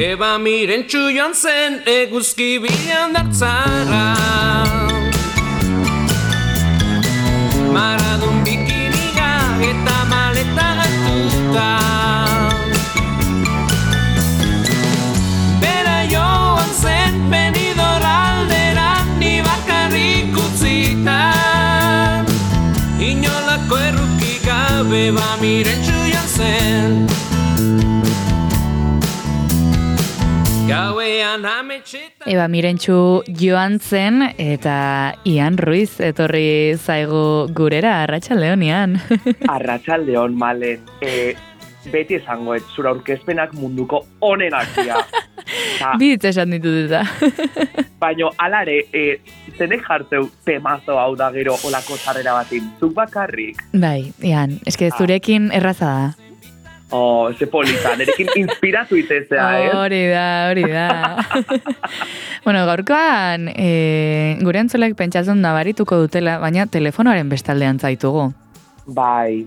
Eba mirentxu joan zen eguzki bilan dartzara. Maradun bikiniga eta maleta hartuta. Bera joan zen Benidorm aldera ni bakarrik utzita. Inolako erruki gabe mirentxu joan zen. Eba mirentxu joan zen eta Ian Ruiz etorri zaigu gurera, Arratsaldeon Ian. Arratsaldeon Malen, beti esango zura aurkezpenak munduko onenak dira. Bitz esan ditut eta. Baina alare, zenek jartzeu temazo hau da gero olako sarrera batin, zuk bakarrik? Bai, Ian, eske zurekin erraza da. Oh, ze polita, nerekin inspiratu itezea, Hori da. Bueno, gaurkoan, gure entzulek pentsatzen nabarituko dutela, baina telefonoaren bestaldean zaitugu. Bai,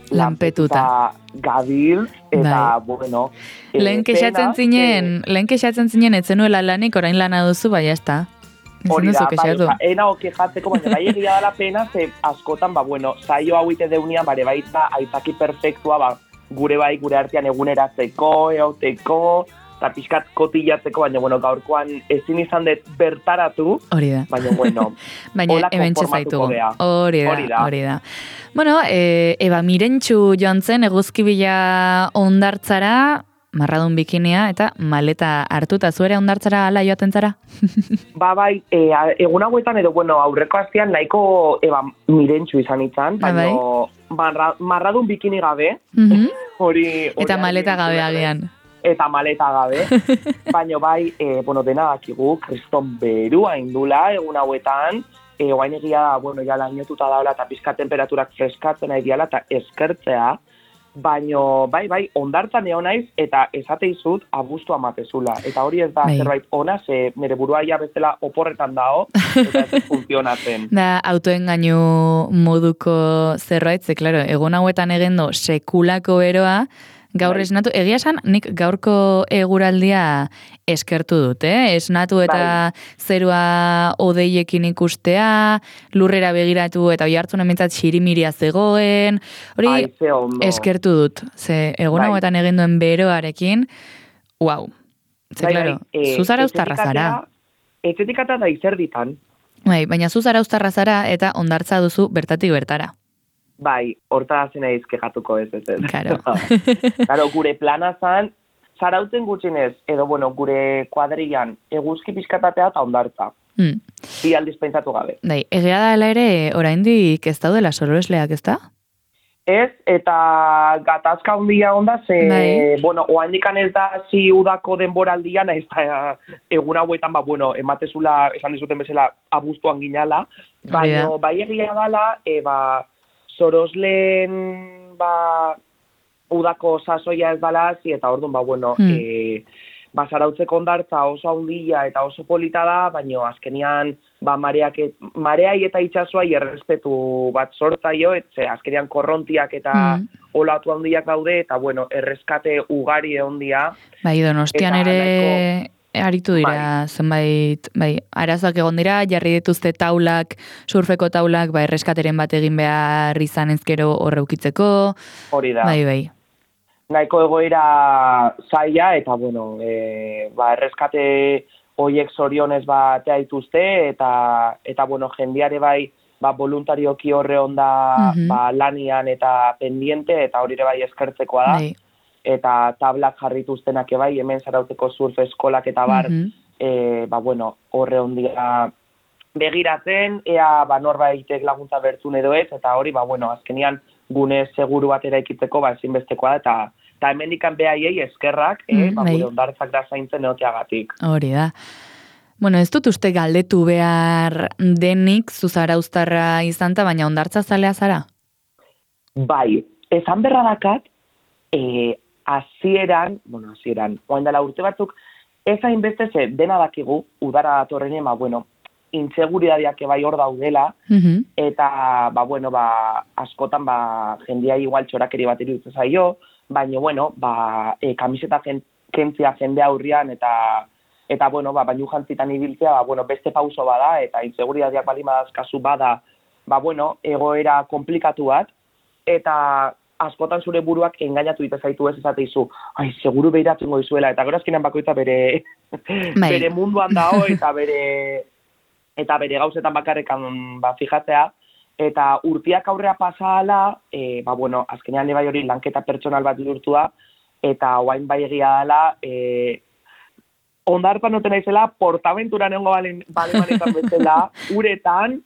lanpetuta gabil, eta, bueno... Lehen kexatzen zinen, etzenuela lanik, orain lana duzu, bai, ez hori da, ena okejatzeko, baina bai egia dala pena, ze askotan, bueno, saio hauite deunian, bare baita, aitzaki perfektua, gure artean eguneratzeko, eoteko, eta pixkat kotillatzeko, baina, bueno, gaurkoan ezin izan dut bertaratu, hori da. Baina, bueno, baina hemen txezaitugu. Hori da. Bueno, Eba mirentxu joan zen, eguzkibila ondartzara, marradun bikinia eta maleta hartuta, zuere ondartzara ala joaten zara? Bai, egun hauetan edo, bueno, aurreko astean nahiko mirentxu izan itzan, baina marradun bikini gabe, eta maleta gabe agian. Eta maleta gabe, baina bai, dena dakigu, kriston berua indula egun hauetan, oain egia da, bueno, ja lainotuta daula eta pizka temperaturak freskatzen egiala eta eskertzea, baina bai, ondartzan egon naiz eta esateizut abuztu amatezula. Eta hori ez da zerbait ona, ze nire burua ia bezala oporretan dao, eta ez funtzionatzen. Da, autoengainu moduko zerbait, ze, klaro, egun hauetan egendo sekulako beroa, gaur esnatu, egia esan, nik gaurko eguraldia eskertu dut, esnatu eta zerua odeiekin ikustea, lurrera begiratu eta oihartzun ementzat xirimiria zegoen, hori eskertu dut, ze egun hauetan egin duen beroarekin, uau, ze klaro, zuzara ustarra zara. Etxetikata da izerditan. Baina zuzara ustarra zara eta ondartza duzu bertatik bertara. Bai, horta zena izkejatuko ez. Claro. Claro, gure plana zan, zarauten gutxinez, edo, bueno, gure kuadrilan eguzki pixkatatea eta ondartza. Bi aldiz pentsatu gabe. Bai, egia da ere, oraindik ez daudela sorosleak, ez da? Ez, eta gatazka handia onda, ze, bueno, oaindikan ez da zi udako denboraldian, ez da egun hauetan, ematezula, esan dizuten bezala, abuztuan ginala, baina bai egia dala, sorosleen, udako sasoia ez dala, eta orduan, zarautzeko ondartza oso handia eta oso polita da, baina azkenian, mareai eta itxasuai errespetu bat sortzaio, azkenian korrontiak eta olatu handiak daude, eta, erreskate ugari egondia. Bai, Donostian ere... Aritu dira, zenbait, arazoak egon dira, jarri dituzte taulak, surfeko taulak, erreskateren bat egin behar izan ezkero horreukitzeko. Hori da. Bai. Nahiko egoera zaila, eta, erreskate hoiek zorionez batea dituzte, eta, jendiare voluntarioki horre onda, lanian eta pendiente, eta hori ere eskertzekoa da. Bai. Eta tablak jarrituztenak hemen zarauteko surf eskolak eta bar, horre ondia begiratzen, ea norbaitek laguntza bertzun edo ez, eta hori, azkenian gune seguru bat eraikitzeko ezinbestekoa da, eta hemendikan behaiei eskerrak, gure ondartzak da zaintzen eoteagatik. Hori da. Bueno, ez dut uste galdetu behar denik zuzara uztarra izanta, baina ondartza zalea zara? Bai, esan berra dakat, hasieran, oain dela urte batzuk, ez hainbeste ze dena dakigu, udara datorrenean, intseguridadeak bai hor daudela, eta, askotan, jendia igual txorakeri bat iruditzen zaio, baina, kamiseta kentzia jende aurrian, eta bueno, bainu jantzitan ibiltzea, bueno, beste pauso bada, eta inseguridadeak bali madazkazu bada, bueno, egoera komplikatu bat, eta askotan zure buruak engainatu ite zaitu ez esateizu, ai, seguru behiratzen goizuela, eta gero azkenean bakoitza bere munduan dago, eta bere gauzetan bakarrekan fijatzea, eta urtiak aurrea pasahala, bueno, azkenean bai hori lanketa pertsonal bat bihurtu da, eta oain bai egia dela, ondartan noten naizela, portaventuran egongo balemanetan bezala, uretan,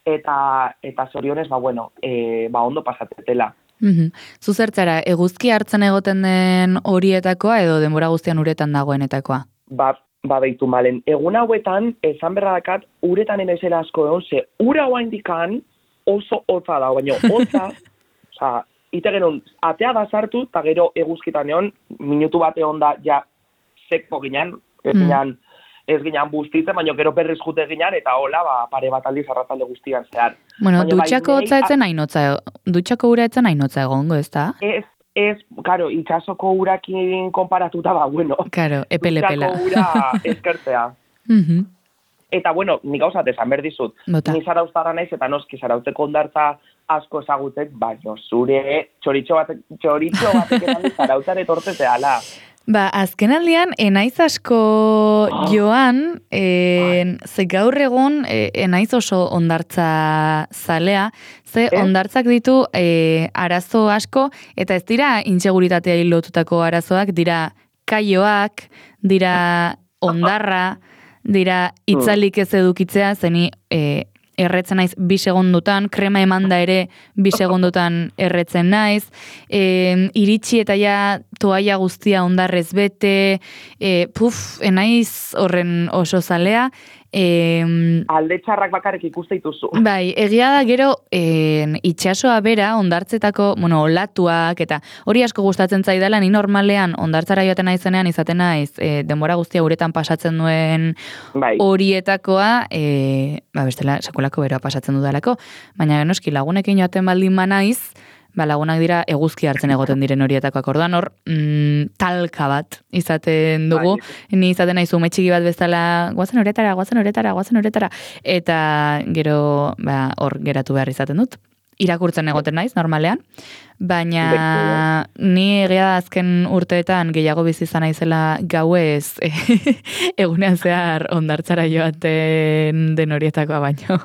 eta zorionez, bueno, ondo pasatetela. Zu zertzara, eguzki hartzen egoten den horietakoa edo denbora guztian uretan dagoenetakoa? Beitu malen. Egun hauetan, esan berradakat, uretan enaizela asko egon, ze ura oaindikan oso hotza da, baina hotza, ite genon, atea da sartu, eta gero eguzkitan egon, minutu bate onda, ja, seko ginen, ez ginen bustitzen, baina gero berriz jute ginen, eta hola, pare bat aldiz arratzalde guztian zehar. Bueno, dutxako hotza etzen hainotza, dutxako ura etzen hainotza egongo, ez da? Ez, karo, itxasoko urakin konparatuta, bueno. Karo, epele-epela. Dutxako ura eskertzea. Eta, bueno, nik gauzat esan berdizut. Ni zarauztara naiz, eta noski zarautzeko ondartza asko ezagutzek, baina zure txoritxo batek esan zarautzare tortezeala. Azkenaldian, enaiz asko joan, ze gaur egun enaiz oso ondartza zalea, ze ondartzak ditu arazo asko, eta ez dira inseguritatea lotutako arazoak, dira kaioak, dira ondarra, dira itzalik ez edukitzea, zeni erretzen naiz 2 segundutan, krema emanda ere 2 segundutan erretzen naiz, iritsi eta ja toaia guztia ondarrez bete, enaiz horren oso zalea. Alde txarrak bakarrik ikuste dituzu. Bai, egia da gero itxasoa bera, ondartzetako, olatuak, eta hori asko gustatzen zaidala, ni normalean ondartzara joaten naizenean izaten naiz, denbora guztia uretan pasatzen duen horietakoa, bestela sekulako beroa pasatzen dudalako, baina noski lagunekin joaten baldin manaiz, lagunak dira eguzki hartzen egoten diren horietakoak, orduan hor talka bat izaten dugu, ni izaten naiz ume txiki bat bezala guazen uretara, eta gero hor geratu behar izaten dut. Irakurtzen egoten naiz, normalean, baina ni egia da azken urteetan gehiago bizi izan naizela gauez egunean zehar ondartzara joaten den horietakoa baino.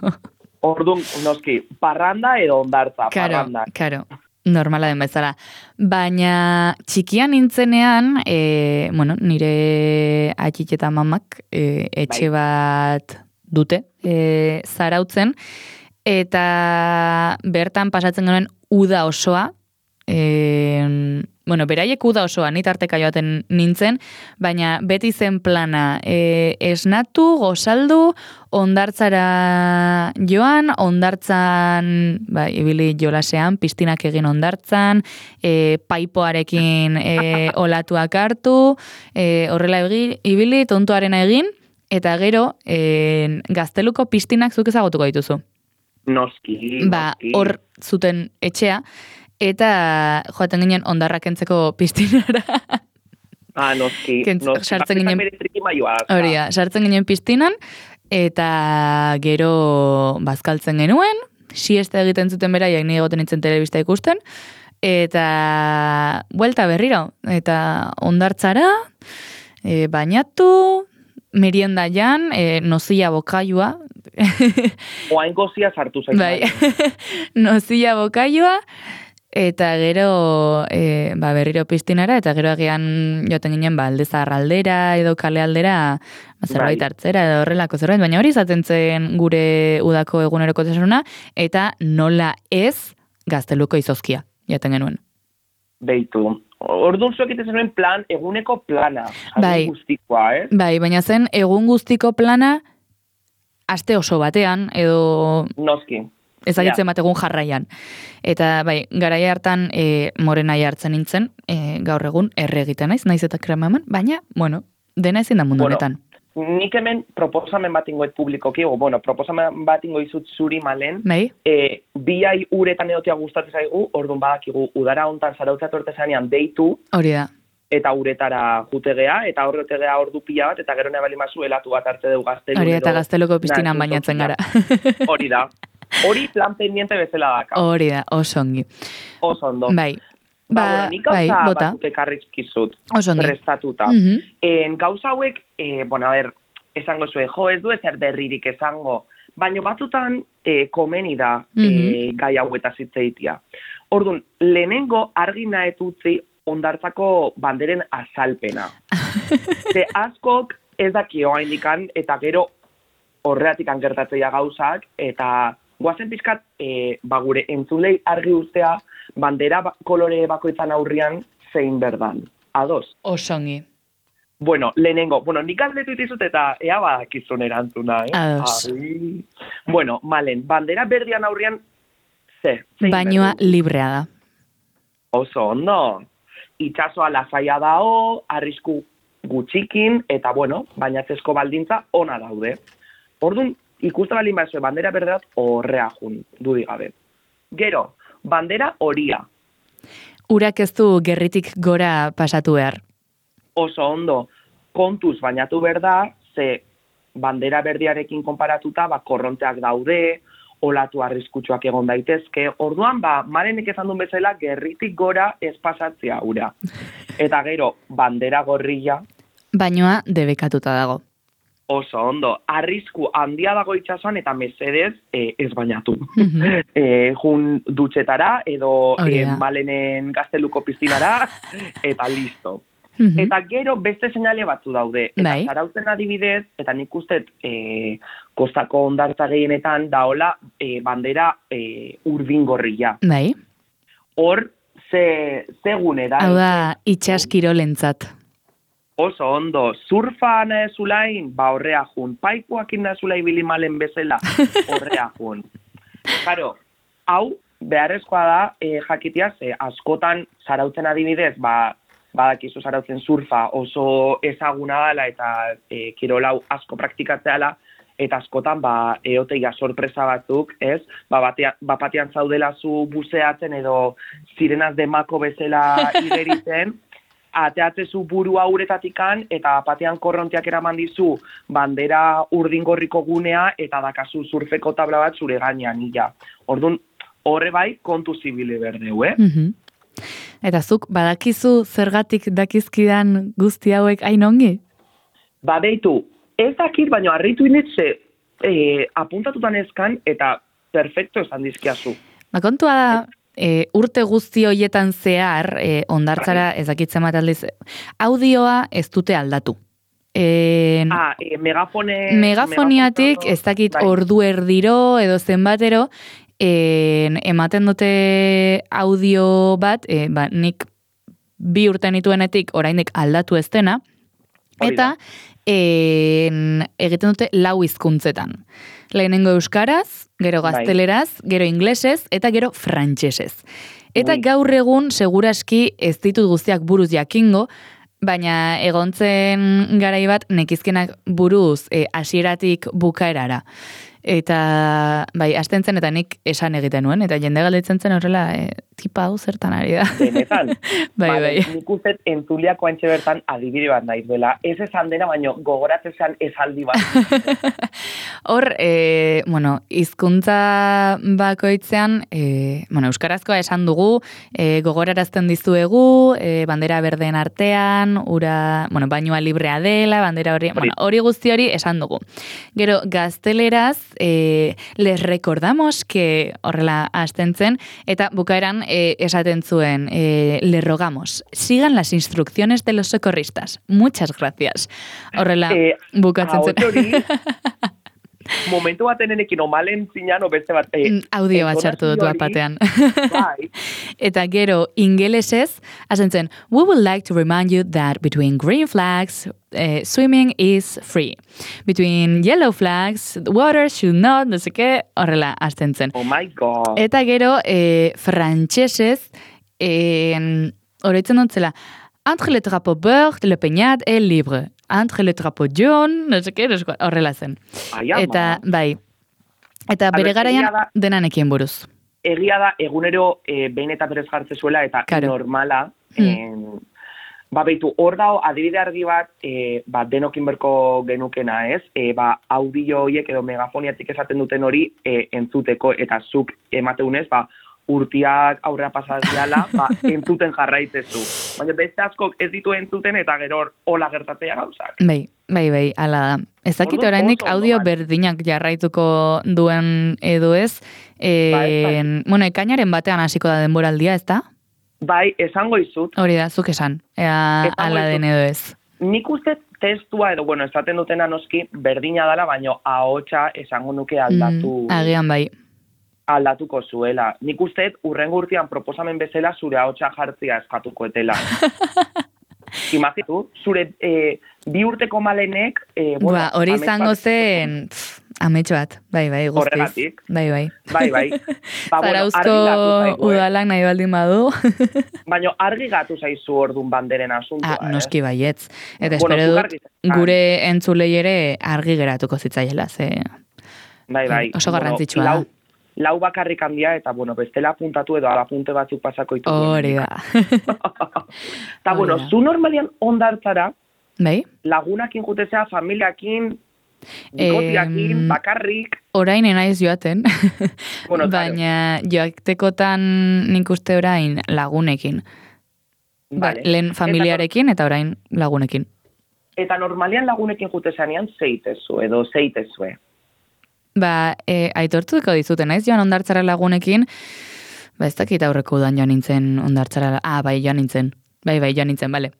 Orduan, noski, parranda edo ondartza, parranda. Karo, normala den bezala. Baina txikian nintzenean, nire atxit eta mamak etxe bat dute, zarautzen, eta bertan pasatzen genuen uda osoa, beraiek uda osoa, nitarteka joaten nintzen, baina beti zen plana, esnatu, gozaldu, ondartzara joan, ondartzan, ibili jolasean, piztinak egin ondartzan, paipoarekin olatuak hartu, horrela ibili, tontoarena egin, eta gero, gazteluko piztinak zuk ezagutuko dituzu. Noski. Hor zuten etxea, eta joaten ginen ondarrak kentzeko piztinara. Noski. Sartzen ginen, sartzen ginen piztinan, eta gero bazkaltzen genuen, siesta egiten zuten beraiek, ni egoten nintzen telebista ikusten, eta buelta berriro, eta ondartzara, bainatu, merienda jan, nozilla bokailua. Oain gozia sartu zaitu. Bai, nozilla bokailua, eta gero berriro piztinara, eta gero agian joaten ginen alde zaharraldera edo kale aldera zerbait hartzera edo horrelako zerbait, baina hori izaten zen gure udako eguneroko tesuna, eta nola ez gazteluko izozkia jaten genuen. Beitu. Orduan zuek egiten zenuen plan, eguneko plana. Bai. Guztikoa, Bai, baina zen egun guztiko plana aste oso batean, edo noski. Ezagitzen bat egun jarraian. Eta bai, garaia hartan morenai hartzen nintzen, gaur egun erre egiten naiz eta krema eman, baina, dena ezin da mundu honetan. Nik hemen proposamen bat ingoet publikoki, proposamen bat ingoizut zuri malen, biai uretan edotia gustatzen zaigu, orduan badakigu, udara hontan zarautza tortezanean deitu, hori da. eta uretara jutegea, eta horretegea ordu pila bat, eta gero nebali mazu helatu bat arte dugu gaztelu. Hori eta gazteluko piztinan bainatzen gara. Hori da. Hori plan pendiente bezala daka. Hori da, oso ongi. Oso ondo. Bai. Bueno, nik gauza batzuk ekarrizkizut. Oso ongi. Prestatuta. Gauza hauek, bueno, a ver, esango zuen, jo, ez du ezer berririk esango, baina batzutan komeni da gai hauetaz hitzeitia. Orduan, lehenengo argi nahetutzi Hondartzako banderen azalpena. Ze askok ez dakio haindikan, eta gero horreatik gertatzea gauzak, eta guazen pizkat gure entzulei argi ustea bandera kolore bakoitzan aurrian zein berdan. Ados? Osongi. Bueno, lehenengo, nik galdetu itizut eta ea badakizun erantzuna, Ados. Bueno, malen, bandera berdian aurrian zein bainoa berdin? librea da. Oso ondo. Itxasoa lasaia dao, arrisku gutxikin, eta bueno, bainatzezko baldintza ona daude. Orduan, ikusten balin bazue, bandera berderat horrea jun, dudigabe. Gero, bandera horia. Urak ez du gerritik gora pasatu behar. Oso ondo, kontuz bainatu berda, ze bandera berdiarekin konparatuta, korronteak daude, olatu arriskutsuak egon daitezke. Orduan, Marenek esan duen bezala, gerritik gora ez pasatzea ura. Eta gero, bandera gorrilla. Bainoa debekatuta dago. Oso ondo, arrisku handia dago itxasuan eta mesedez ez bainatu. Jun dutxetara edo Malenen gazteluko piztinara eta listo. Eta gero beste seinale batzu daude. Eta Zarautzen adibidez, eta nik ustet kostako hondartza gehienetan daola bandera urdingorria. Bai. Hor, ze gune da. Hau da, itxaskirolentzat. Oso ondo, surfa nahezulain, horrea jun. Paikuakin nahezulai bilimalen bezala, horrea jun. Karo, hau, beharrezkoa da, jakitia, ze askotan Zarautzen adibidez, badakizu Zarautzen surfa oso ezaguna dela eta kirolau asko praktikatzeala, eta askotan eoteia sorpresa batzuk, ez? Bapatean zaudela zu buzeatzen edo sirenaz de mako bezala igeritzen, ateatzezu burua uretatikan, eta batean korronteak eraman dizu bandera urdingorriko gunea, eta dakazu surfeko tabla bat zure gainean, ila. Orduan, horre bai, kontu zibile berdeu, Eta zuk, badakizu zergatik dakizkidan guzti hauek hain ongi? Beitu, ez dakit, baina harritu inetze apuntatutan ezkan, eta perfecto esan dizkiazu. Kontua da, urte guzti hoietan zehar, hondartzara ez dakitzen bat aldiz, audioa ez dute aldatu. Megafoniatik ez dakit ordu erdiro edo zenbatero, ematen dute audio bat, nik 2 urte nituenetik oraindik aldatu ez dena, eta egiten dute 4 hizkuntzetan. Lehenengo euskaraz, gero gazteleraz, gero inglesez, eta gero frantsesez. Eta gaur egun, seguraski ez ditut guztiak buruz jakingo, baina egontzen garai bat nekizkenak buruz hasieratik bukaerara. Eta, hasten zen, eta nik esan egiten nuen, eta jende galdetzen zen horrela, tipa hau zertan ari da. Benetan. bai. Nik uzet entzuliako antxe bertan adibide bat naiz dela. Ez esan dena, baino gogoratzen esaldi bat. Hor, hizkuntza bakoitzean, euskarazkoa esan dugu, gogorarazten dizuegu, bandera berdeen artean, bainoa librea dela, bandera hori guzti hori esan dugu. Gero, gazteleraz, les recordamos que horrela hasten zen, eta bukaeran esaten zuen, le rogamos, sigan las instrucciones de los socorristas. Muchas gracias. Horrela bukatzen zen. Momentu baten enekin omalen zinan, beste bat... audio bat sartu dut batean. Eta gero, ingelesez, hasten zen, we would like to remind you that between green flags, swimming is free. Between yellow flags, water should not, no sé qué, horrela, hasten zen. Oh my god. Eta gero, frantsesez, oroitzen dut zela, entre le drapeau beurre, le peñat, el libre. Entre le drapeau jaune, no sé qué, horrela zen. Eta, eta bere garaian denanekien buruz. Egia da, egunero behin eta berez jartze zuela, eta normala, Beitu, hor dago adibide argi bat, denokin berko genukena, ez? Audio horiek edo megafoniatik esaten duten hori entzuteko, eta zuk emateunez, urtiak aurrera pasazdiala, entzuten jarraitzezu. Baina beste askok ez ditu entzuten, eta gero hola gertatzea gauzak. Bai, ala da. Ez dakit oraindik audio berdinak jarraituko duen edo ez. Bueno, ekainaren batean hasiko da denboraldia, ez da? Bai, esango izut. Hori da, zuk esan. Ala den edo ez. Nik uste testua edo, bueno, esaten dutena noski berdina dela, baino ahotsa esango nuke aldatu. Agian bai. Aldatuko zuela. Nik uste urrengo urtean proposamen bezala zure ahotsa jartzia eskatuko etela. Imagitu, zure 2 urteko Malenek... hori izango zen... Ametxo bat, bai, guztiz. Horregatik. Bai. Zarauzko udalak nahi baldin badu. Baina argi gatu zaizu ordun banderen asuntua. Noski baietz. Eta espero dut, gure entzulei ere argi geratuko zitzaiela, ze... Bai. Oso garrantzitsua da. Lau bakarrik handia, eta, bestela apuntatu edo alapunte batzuk pasako itugu. Hori da. Eta, zu normalian ondartzara, bai? Lagunakin jutezea, familiakin, bikotiakin, bakarrik. Orain enaiz joaten, baina joatekotan nik uste orain lagunekin. Lehen familiarekin eta orain lagunekin. Eta normalian lagunekin jutezanean zeitezu edo zeitezue. Aitortuko dizuten, naiz joan ondartzara lagunekin, ez dakit aurreko udan joan nintzen ondartzara, bai, joan nintzen, bale,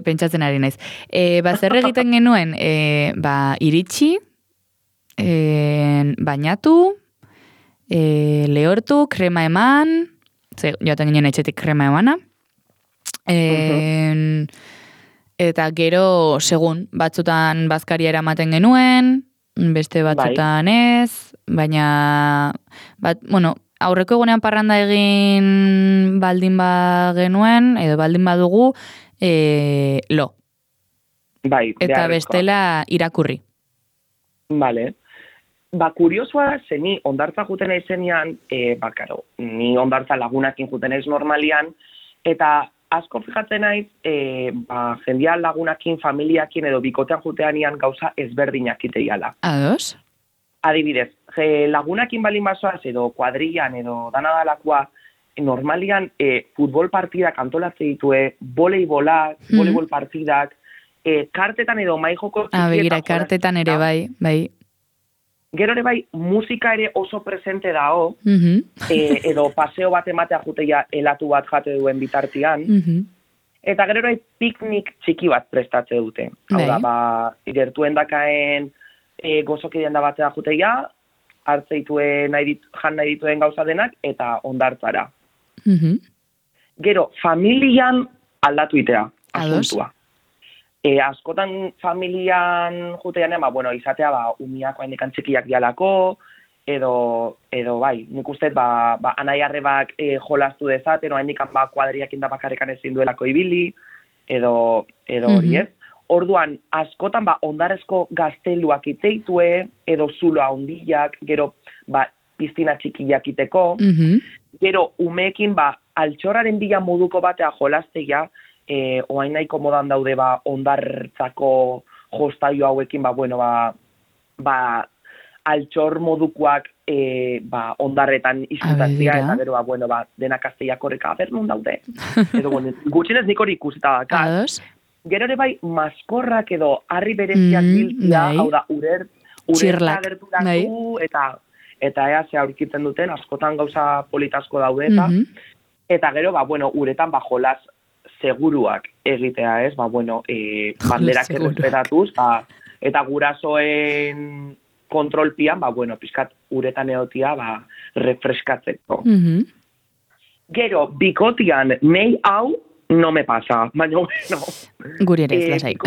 pentsatzen ari naiz. Zer egiten genuen, iritsi, bainatu, lehortu, krema eman, joaten ginen etxetik krema emana, eta gero, segun, batzutan bazkaria eramaten genuen, beste batzutan ez, baina, aurreko egunean parranda egin baldin genuen, edo baldin badugu, lo. Bai, eta bestela irakurri. Vale. Kuriosua, ze ni ondartza juten aizenean, ni ondartza lagunakin juten aiz normalian, eta asko fijatzen naiz, jendia lagunakin, familiakin edo bikotean juteanian gauza ezberdinak iteiala. Ados? Adibidez, lagunakin balin basoaz edo kuadrillan edo danadalakoa, normalian futbol partidak antolatze ditue, voleibol partidak, kartetan edo maijoko txikieta. Begira, kartetan ere bai. Gero ere bai, musika ere oso presente dao, edo paseo bat ematea juteia helatu bat jate duen bitartian, eta gero ere piknik txiki bat prestatze dute. Hau da, gertuen dakaen gozokideen da batea juteia, hartzeituen jan nahi dituen gauza denak, eta ondartzara. Gero, familian aldatu itea, asuntua. Askotan familian juteanean, izatea, umiako haindekan txikiak dialako, edo bai, nik uste, anai arrebak jolastu dezaten, haindekan kuadriakin da bakarrekan ezin duelako ibili, edo hori ez. Orduan, askotan, ondarezko gazteluak iteitue, edo zuloa hondiak, gero, piztina txikiak iteko, gero, umeekin, altxorraren bila moduko batea jolasteia, oain nahiko modan daude ondartzako jostaio hauekin, altxor modukoak ondarretan izutatzea, eta gero, denak azteiak horreka, nun daude. Edo, gutxinez nik hori ikusita dakat. Gero ere bai, maskorrak edo harri bereziak biltzia, hau da, urertza gerturatu, eta ea ze aurkitzen duten, askotan gauza politasko daude, eta gero, uretan jolaz seguruak egitea, ez? Banderak errespetatuz, eta gurasoen kontrolpian, pizkat uretan egotia, refreskatzeko. Gero, bikotian, nei hau, no me pasa, baina, Guri ere ez lasaik.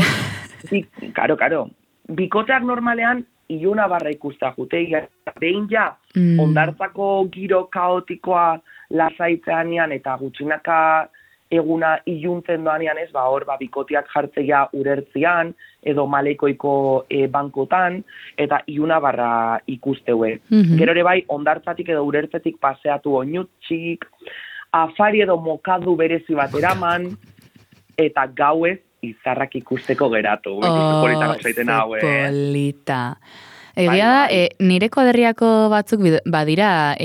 Karo. Bikoteak normalean, iluna barra ikustea juteia, behin ja, ondartzako giro kaotikoa lasaitzeanean, eta gutxinaka eguna iluntzen doanean ez, hor bikotiak jartzea urertzian, edo maleikoiko bankotan, eta iluna barra ikusteue. Gero ere bai, ondartzatik edo urertzetik paseatu oinutxik, afari edo mokadu berezi bat eraman, eta gauez izarrak ikusteko geratu. Polita zaiten hau, polita. Egia da, nire kuadriako batzuk badira,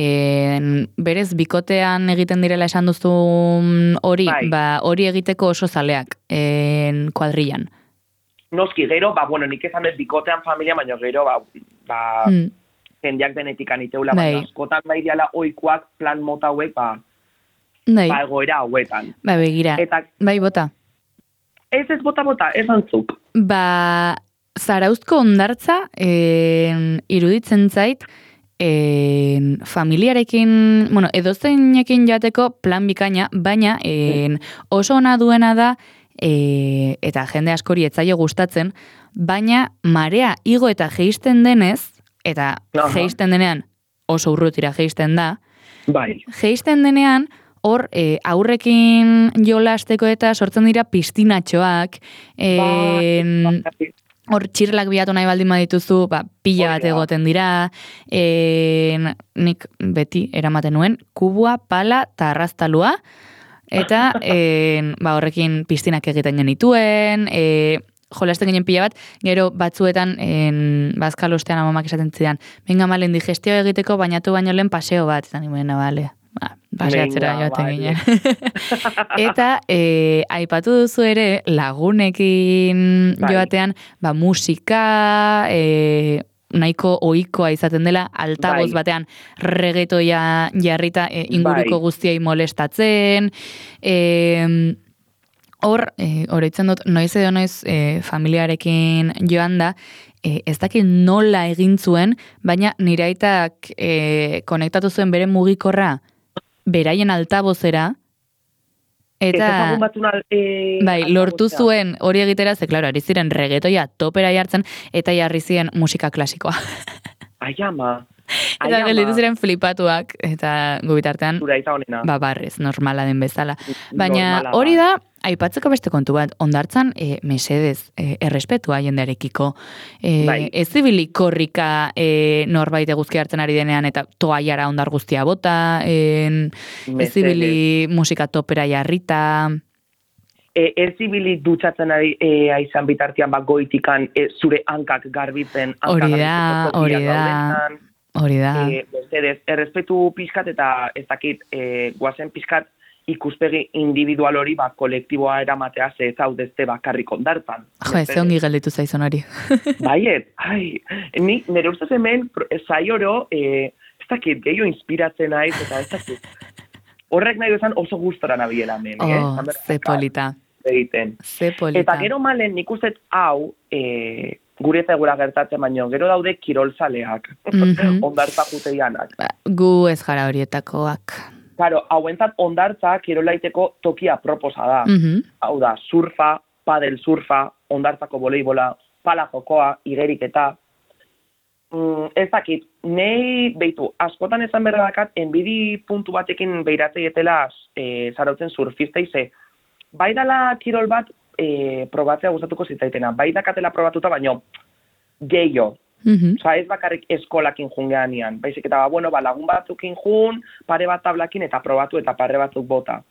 berez bikotean egiten direla esan duzun hori, hori egiteko oso zaleak kuadrilan. Noski, gero, bueno, nik esan ez bikotean familia, baina gero, jendeak denetik aniteula, baina askotan nahi diala oikoak plan mota hauek, egoera hauetan. Begira, bai bota. Ez bota, ez antzuk. Zarauzko hondartza, iruditzen zait, familiarekin, bueno, edozeinekin jateko plan bikaina, baina oso ona duena da, eta jende askori etzaio gustatzen, baina marea igo eta jeisten denez, eta jeisten denean oso urrutira jeisten da, jeisten denean, hor, aurrekin jolasteko eta sortzen dira pistinatxoak, hor txirlak bilatu nahi baldin badituzu, pila bat egoten dira, nik beti eramaten nuen, kubua, pala eta arraztalua, eta horrekin pistinak egiten genituen, jolasten ginen pila bat, gero batzuetan bazkalostean amamak esaten zidan, venga malen digestio egiteko bainatu baino lehen paseo bat, eta nimoen, bale, paseatzera joaten ginen. Eta aipatu duzu ere lagunekin joatean musika nahiko ohikoa izaten dela altaboz batean reggaetoia jarrita inguruko guztiei molestatzen. Oroitzen dut, noiz edo noiz familiarekin joan da, ez dakit nola egin zuen, baina nire aitak konektatu zuen bere mugikorra beraien altabozera, eta lortu zuen hori egitera, ze, klaro, ari ziren reggaetoia topera jartzen, eta jarri ziren musika klasikoa. Ai, ama. Eta gelditu ziren flipatuak, eta gubitartean, barrez, normala den bezala. Baina hori da, aipatzeko beste kontu bat, hondartzan mesedez, errespetua jendearekiko. Ez zibili korrika norbait eguzki hartzen ari denean, eta toaiara hondar guztia bota, ez zibili musika topera jarrita. Ez zibili dutxatzen aizan bitartian goitikan zure hankak garbitzen. Hori da. Errespetu pixkat eta ez dakit guazen pixkat ikuspegi individual hori kolektiboa eramatea ze zaudezte bakarrik ondartan. Jo, ez ongi galditu zaizun hori. Baiet, nire ustez hemen zai oro, ez dakit gehiago inspiratzen naiz eta ez dakit. Horrek nahi duzan oso gustora nabiela hemen. Ze polita. Eta gero malen nik ustez hau, gure eta gura gertatzen baino, gero daude kirolzaleak, ondartza juteianak. Gu ez gara horietakoak. Claro, hauentzat ondartza kirolaiteko tokia proposa da. Hau da, surfa, padel surfa, ondartzako voleibola, pala jokoa, igeriketa. Ez dakit, nei, beitu, askotan esan berra dakat, enbidi puntu batekin beiratzeietela zarautzen surfistei ze. Bai dala kirol bat probatzea gustatuko zitzaitena. Bai dakatela probatuta, baino gehiago. Osa, ez bakarrik eskolakin jungean ian. Baizik eta, lagun batzukin jun, pare bat tablakin eta probatu eta pare batzuk bota.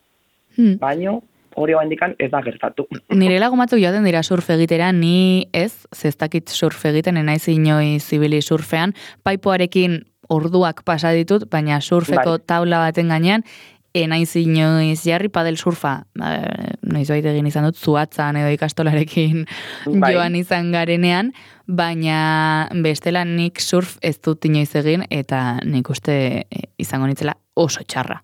Baino, hori hau indikan ez da gertatu. Nire lagun batzuk joaten dira surf egitera, ni ez, zestakit surf egiten, enaiz inoi zibili surfean, paipoarekin orduak pasa ditut, baina surfeko taula baten gainean, enaiz inoiz jarri padel surfa, noiz baita egin izan dut, zuatzan edo ikastolarekin joan izan garenean, baina bestela nik surf ez dut inoiz egin, eta nik uste izango nitzela oso txarra.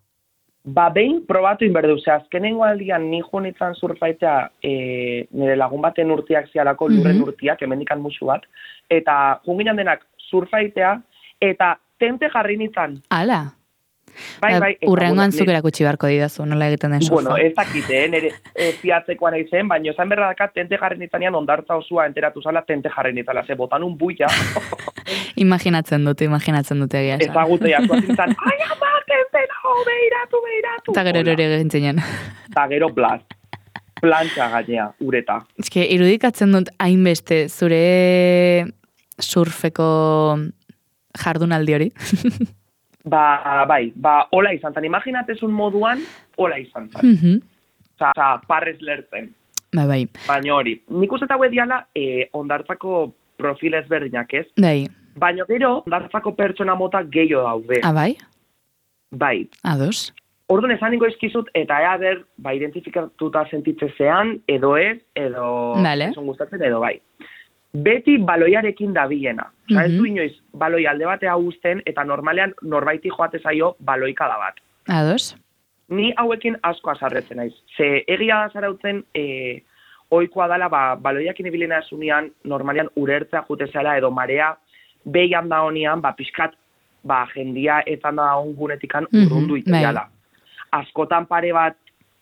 Behin probatu inberdu, azkenengo aldian ni joan izan surfaitea nire lagun baten urtiak zialako, lurren urtiak, hemendikan musu bat, eta junginan denak surfaitea, eta tente jarri nintzen. Ala! Urrengoan zuk erakutsi barko didazu, nola egiten den surfa. Ez dakite, nire ziatzekoan eizen, baina esan berra dakat tente jarri nintzanean ondartza osua enteratu zala tente jarri nintzala, ze botan un buia. Imaginatzen dute egia esan. Ezagutea zuazintzan, ai ama, tente nago, beiratu. Eta gero ere gintzinen. Eta gero plantxa gainea, ureta. Ez que irudikatzen dut hainbeste zure surfeko jardunaldi hori. Hola izan zan. Imaginatezun moduan, hola izan zan. Parrez lertzen. Bai. Baina hori, nik uste hau diala ondartzako profil ezberdinak, ez? Bai. Baina gero, ondartzako pertsona mota gehiago daude. Bai? Bai. Ados. Orduan esan ningo eskizut, eta ber, identifikatuta sentitzezean, edo ez, edo esan gustatzen, edo bai. Beti baloiarekin dabilena. Osa, ez du inoiz, baloi alde batea uzten, eta normalean norbaiti joate zaio baloikada bat. Ados. Ni hauekin asko azarretzen naiz. Ze egia da zarautzen, ohikoa dela, baloiakin ibilena esunean, normalean urertzea jutezela, edo marea behian da honian, pixkat, jendia etan da ongunetikan urrundu iteala. Askotan pare bat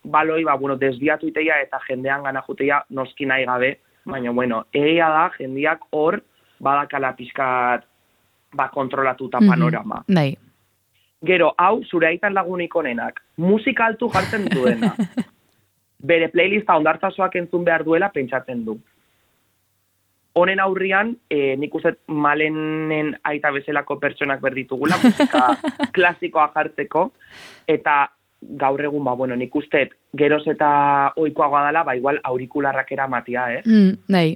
baloi, desbiatu iteia eta jendean gana juteia noski nahi gabe, baina, egia da, jendiak hor badakala pixkat kontrolatuta panorama. Bai. Gero, hau, zure aitan lagunik onenak, musika altu jartzen duena. Bere playlista ondartzasoak entzun behar duela pentsatzen du. Honen aurrian, nik uste Malenen aita bezalako pertsonak berditugula, musika klasikoa jartzeko, eta gaur egun, nik uste geroz eta ohikoagoa dela, igual aurikularrak eramatia, Bai.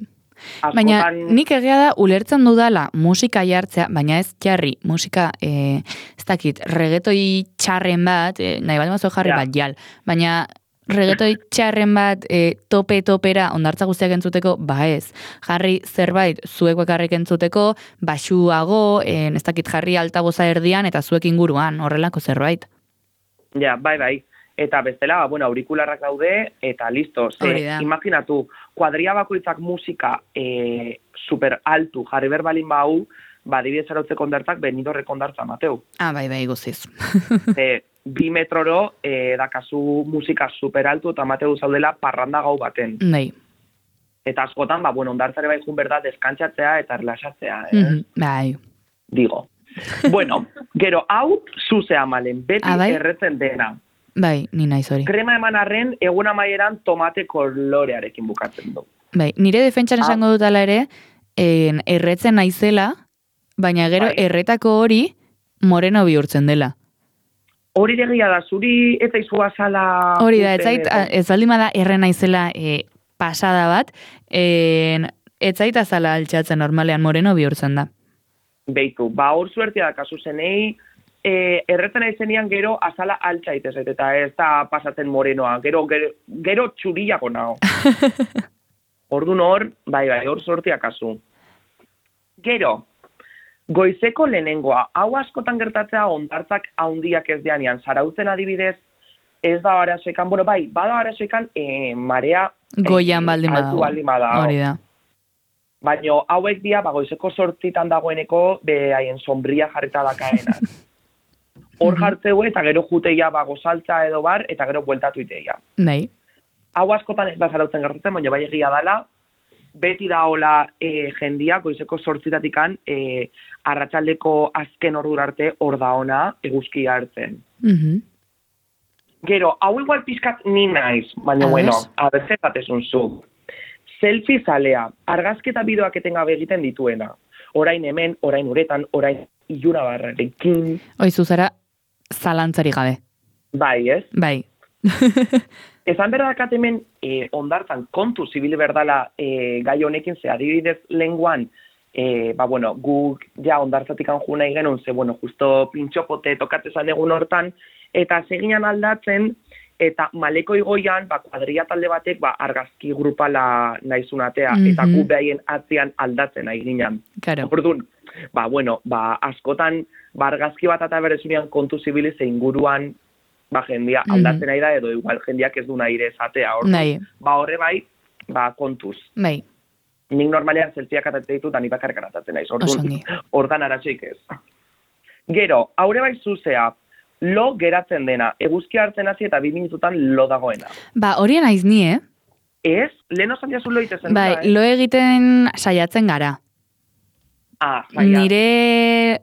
Baina nik egia da ulertzen dudala musika jartzea, baina ez jarri musika, ez dakit, regetoi txarren bat, nahi bat mazo jarri bat jal, baina regetoi txarren bat tope-topera ondartza guztiak entzuteko, ez. Jarri zerbait zuek bakarrik entzuteko, baxuago, ez dakit jarri altaboza erdian eta zuek inguruan, horrelako zerbait. Ja, bai. Eta bestela, aurikularrak daude, eta listo. Imaginatu, kuadria bakoitzak musika super altu jarri berbalin bau, dibidez arautzeko ondartzak benidorreko ondartza mateu. Bai, guziz. 2 metroro dakazu musika super altu eta mateu zaudela parranda gau baten. Bai. Eta askotan, ondartzare bai jun berda deskantzatzeea eta relaxatzea. Bai. Digo. Gero, hau zuzea malen, beti erretzen dena. Bai, ni naiz hori. Krema eman arren, egun amaieran tomate kolorearekin bukatzen du. Bai, nire defentsan esango dutala ere, erretzen naizela, baina gero erretako hori moreno bihurtzen dela. Hori degia da, zuri eta izua zala... Hori da, ez baldima da erren naizela pasada bat, ez zaita zala altxatzen normalean moreno bihurtzen da. Beitu, hor zuertia da kasu zenei, erretzen aizenian gero azala altxaitez, eta ez da pasatzen morenoa, gero txuriako nao. Orduan hor, bai, hor zuertia kasu. Gero, goizeko lehenengoa, hau askotan gertatzea ondartzak haundiak ez deanean, zarautzen adibidez, ez da arazoekan, bada arazoekan marea goian baldin badago, hori da. Baina hauek dia, goizeko 8 dagoeneko, haien sombria jarrita dakaena. Hor jartzeu eta gero juteia gozaltza edo bar, eta gero bueltatu iteia. Bai. Hau askotan ez da zarautzen gertatzen, baina bai egia dala, beti da hola jendia, goizeko 8 arratsaldeko azken ordura arte hor da ona eguzkia hartzen. Gero, hau igual pizkat ni naiz, baina abeze batezun zu. Selfie zalea, argazketa bideoak etengabe egiten dituena. Orain hemen, orain uretan, orain iluna barrarekin. Oizu zara, zalantzari gabe. Bai, ez? Bai. Esan berdakat hemen ondartzan kontu zibil berdala gai honekin, ze adibidez lenguan, guk ja ondartzatik anju nahi genuen, ze justo pintxopote tokatzezan egun hortan, eta seginan aldatzen, eta maleko igoian, kuadria talde batek, argazki grupala nahizunatea, eta gu behaien atzian aldatzen nahi ginen. Claro. Orduan, askotan, argazki bat eta berezunian kontu zibili ze inguruan, jendia aldatzen nahi da, edo igual jendiak ez du nahi ere esatea. Orduan, horre bai, kontuz. Bai. Nik normalean zeltziak atatzen ditut, ani bakarrik atatzen naiz. Ordan aratxeik ez. Gero, haure bai zuzea, lo geratzen dena, eguzki hartzen hasi eta 2 minututan lo dagoena. Horien naiz ni, Ez? Lehen osan jazu lo itezen. Lo egiten saiatzen gara. Nire,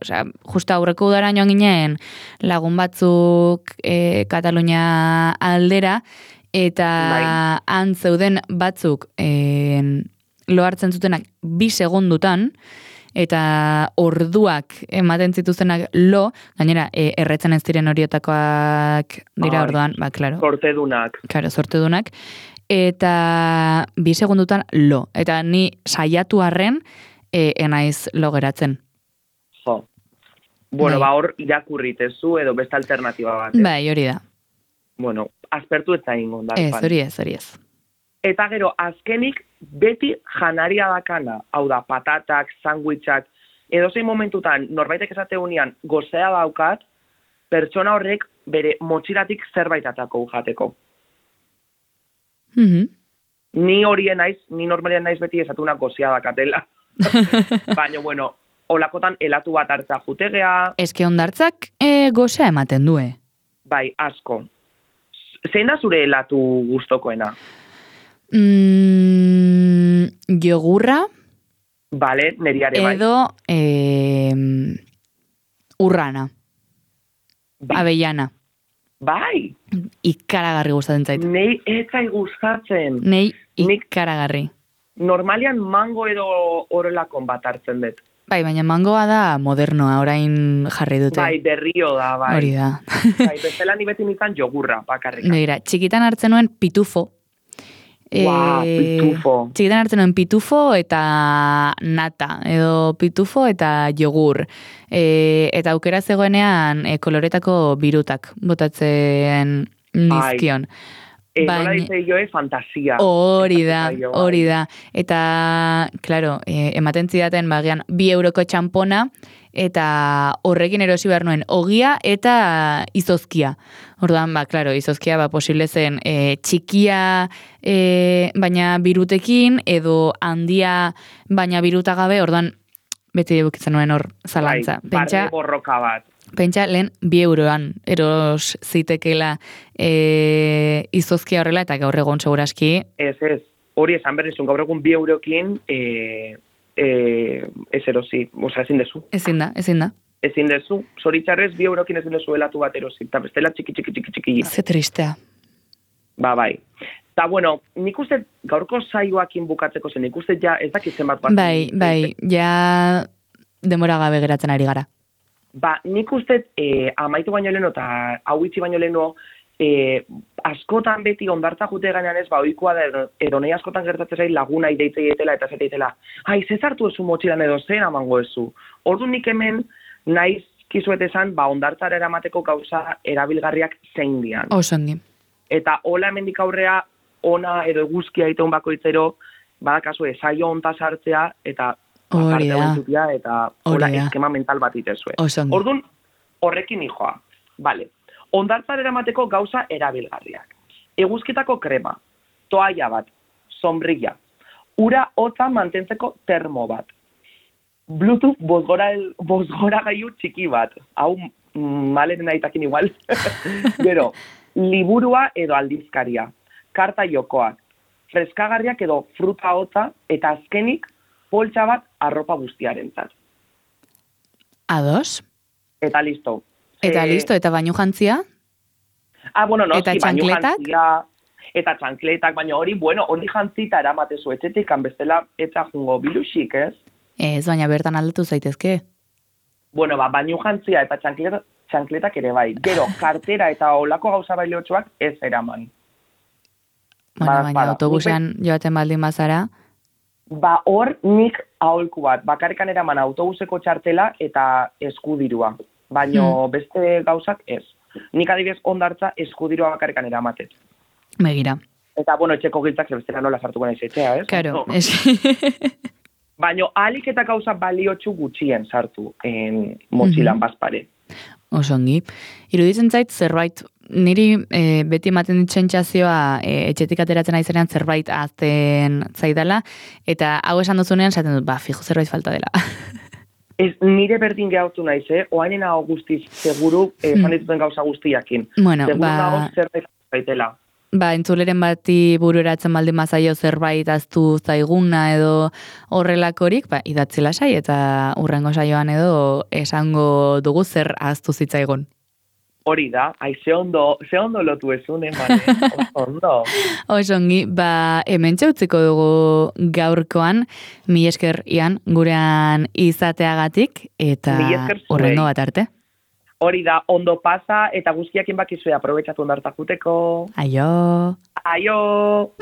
justa aurreko udara joan ginen lagun batzuk Katalunia aldera, eta han zeuden batzuk lo hartzen zutenak 2 segundutan, eta orduak ematen zituztenak lo, gainera, erretzen ez diren horietakoak dira orduan, klaro. Sortedunak. Klaro, sortedunak. eta 2 segundutan lo. Eta ni saiatu arren, enaiz lo geratzen. Jo. Bueno, Bai. hor irakurritezu edo beste alternatiba bat. Bai, hori da. Bueno, aspertu ez zain gondar. Ez, hori ez. Eta gero, azkenik, beti janaria dakana, hau da, patatak, sandwichak, edozein momentutan, norbaitek esateunean, gozea daukat, pertsona horrek bere motxilatik zerbait atako jateko. Ni horien naiz, ni normalian naiz beti esatuna gozea dakatela. Baina, bueno, olakotan elatu bat hartza jutegea. Eske hondartzak gozea ematen du, Bai, asko. Zein da zure elatu gustokoena? Jogurra, Bale, neriare bai. edo urrana, Bai. avellana. Bai, Ikaragarri gustatzen zait. nei etzai gustatzen. Nei Nik- ikaragarri. Normalian mango edo horrelakon bat hartzen dut. Bai, baina mangoa da modernoa, orain jarri dute. Bai, berrio da, bai. Hori da. Bai, bestela ni beti nintzen jogurra, bakarrik. Begira, txikitan hartzen nuen pitufo. Ua, pitufo. Txikitan hartzen nuen pitufo eta nata, edo pitufo eta jogur. Eta aukera zegoenean koloretako birutak botatzen nizkion. Nola dice joe, fantasia. Hori da. Eta, claro, ematen zidaten bagian 2 euroko txampona, eta horrekin erosi behar nuen ogia eta izozkia. Orduan, claro, izozkia posible zen txikia baina birutekin, edo handia baina biruta gabe, orduan beti bukitzen nuen hor zalantza. Bai, barne borroka bat. Pentsa, lehen 2 euroan eros zitekela izozkia horrela, eta gaur egon seguraski. Ez. Hori esan berrizun, gaur egun 2 eurokin ez erosi. Osa, ezin dezu. Ezin da. Ezin dezu. Zoritxarrez 2 eurokin ezin dezu elatu bat erosi. Eta bestela txiki. Ze tristea. Bai. Eta, bueno, nik uste gaurko saioakin bukatzeko zen, nik uste ja ez dakitzen bat. Bai, ja demora gabe geratzen ari gara. Nik uste amaitu baino leheno eta hau itxi baino leheno askotan beti ondartza jute gainean ez, ohikoa da edo nahi askotan gertatzen zait laguna ideitzeietela eta zeteitela. Zezartu ezu motxilan edo zen amango ezu. Ordu nik hemen naiz kizuet esan, ondartzara eramateko gauza erabilgarriak zein dian. Osongi. Eta hola hemendik aurrea ona edo eguzkia iteun bakoitzero, badakazu saio honta sartzea eta hori da. Eta hola eskema mental bat itezue. Orduan, horrekin hijoa. Vale. Ondartzara eramateko gauza erabilgarriak. Eguzkitako krema, toalla bat, sombrilla, ura hotza mantentzeko termo bat, Bluetooth bozgora gaiu txiki bat, hau maleren aitakin igual, gero, liburua edo aldizkaria, karta jokoak, freskagarriak edo fruta hotza, eta azkenik, poltsa bat arropa guztiarentzat. Ados? Eta listo. Eta bainu jantzia? Bueno, no, eta txankletak? Eta txankletak, baina hori jantzita eramatezu etxetik, bestela eta jungo bilusik, ez? Ez, baina bertan aldatu zaitezke. Bueno, bainu jantzia eta txankletak ere bai. Gero, kartera eta olako gauza bailotxoak ez eraman. Bueno, baina autobusean joaten baldin bazara. Hor nik aholku bat, bakarrikan eraman autobuseko txartela eta eskudirua. Baina beste gauzak ez. Nik adibidez ondartza eskudirua bakarrikan eramatet. Begira. Eta, bueno, etxeko giltzak zebestera nola sartuko naiz etxea, ez? Claro, Baina ahalik eta gauza baliotxu gutxien sartu motxilan bazpare. Osongi. Iruditzen zait zerbait, niri beti ematen dit sentsazioa etxetik ateratzen aizenean zerbait azten zaidala, eta hau esan duzunean esaten dut, fijo zerbait falta dela. Ez, nire berdin gehautu naiz, oainen hau guztiz, seguru, fan dituten gauza guztiakin. Bueno, seguru nago zerbait zaitela. Entzuleren bati bururatzen baldin mazaio zerbait aztu zaiguna edo horrelakorik, idatzi lasai eta urrengo saioan edo esango dugu zer aztu zitzaigun. Hori da, ze ondo lotu ezun, ondo. Osongi, hemen txautziko dugu gaurkoan, mi esker Ian gurean izateagatik, eta urrengo bat arte. Hori da, ondo pasa, eta guztiakin bakizue aprobetxatu ondartak juteko. Aio! Aio!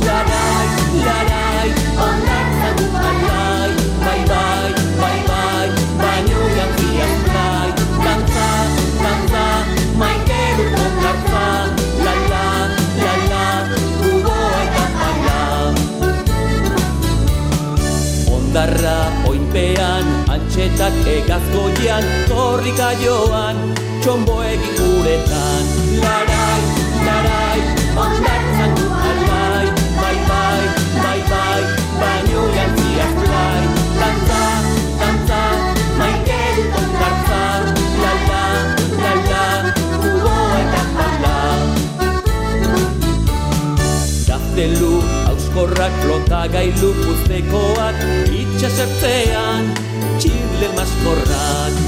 Larai, larai, ondartzan du alai, bai, bai, bai, bai, baino jantziak blai, dantza, dantza, maite dut ondartza, la, la, la, la, gugoa eta baila. Ondarra oinpean, antxetak egazgoian, korrika joan, txomboegin guretan, larai, larai, ondartzan du alai, bai, bai, bai, bai, baino jantziak blai, dantza, dantza, maite dut ondartza, la, la, la, la, gugoa eta baila. Gaztelu, auskorrak, flotagailu puztekoak, itxasertzean, txirle maskorrak,